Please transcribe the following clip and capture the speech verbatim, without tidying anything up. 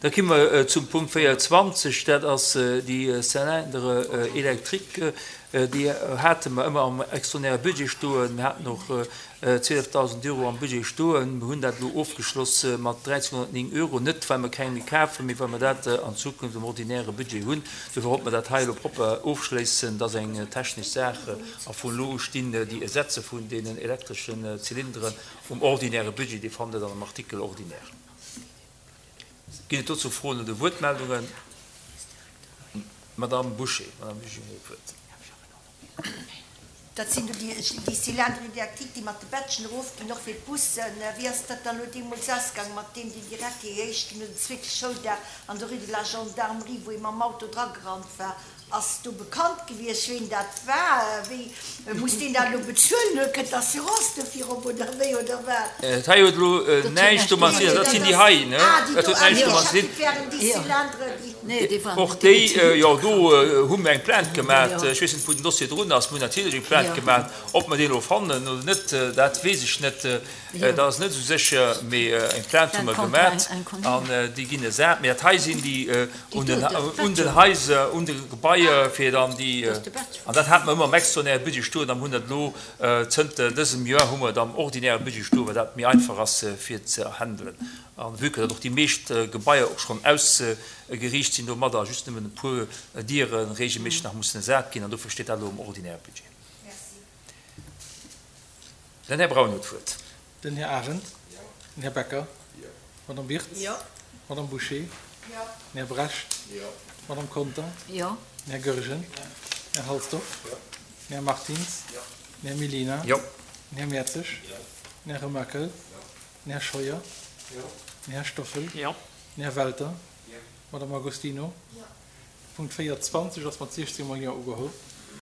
Da komme mer zum Punkt véierundzwanzeg, dat ass déi Cylindre électrique. Déi hate mer ëmmer am extraordinäre Budget stoen. Mir haten och zwielefdausend Euro am Budget stoen. Mir hunn dat elo ofgeschloss mat dräizénhonnertnéng Euro, net well mer keng méi kafen, mee well mer dat an Zukunft am ordinäre Budget hunn. Dofir wollte mer dat hei elo propper ofschléissen. Dat ass eng technesch Saach a vun elo u stinn déi Ersetze vun deenen elektreschen Zylinderen um ordinäre Budget. Dir fannt et an dem Artikel ordinaire. Ginn et dozou Froen oder Wuertmeldungen? Madame Bouché, Madame Eugénie huet d'Wuert. Dat sinn do déi Cylindres électriques, déi mat de Bätschen erofginn, och fir d'Bussen. Wéi ass dat dann elo deemools ausgaang mat deem, deen direkt dee éischten oder zweete Schouldag an der Rue de la Gendarmerie, wou ee mam Auto dragerannt war? Ass do bekannt gewiescht, ween dat war? Wéi muss deen dat elo bezuelen? Oder kënnt d'Assurance dofir op oder wéi oder wat? Dat hei huet elo näischt domat ze dinn. Dat sinn déi hei, ne? Dat huet näischt domat ze dinn. Och déi, jo, do hu mir eng Plainte gemat. Ech weess net, wou den Dossier drun ass. Mir hunn natierlech eng Plainte gemat. Ob mer déi elo fannen oder net, dat weess ech net. Dat ass net esou sécher. Mee eng Plainte hu mer gemat an déi ginn ersat. Mee dat hei sinn déi un den, un den Haiser, un de Gebaier, fir dann déi, an dat hate mer ëmmer am extraordinäre Budget stoen, a mir hunn dat elo zënter dësem Joer hu mer et am ordinäre Budget stoen, well dat méi einfach ass fir ze handelen. A vue que datt och déi meescht Gebaier och schonn ausgeriicht sinn domadder, just nëmmen e puer Diere regelméisseg nach mussen ersat ginn, an dofir steet dat elo am ordinäre Budget. Den Här Braun huet d'Wuert. Den Här Arendt. Den Här Becker. D'Madame Wirtz. D'Madame Bouché. Den Här Brecht. D'Madame Conter. Den Här Goergen. Den Här Halsdorf. Den Här Martins. Den Här Mellina. Den Här Mertzig. Den Här Remakel. Den Här Scheuer. Den Här Stoffel. Den Här Welter. D'Madame Agostino. Punkt véierundzwanzeg ass mat siechzéng mol Jo ugeholl.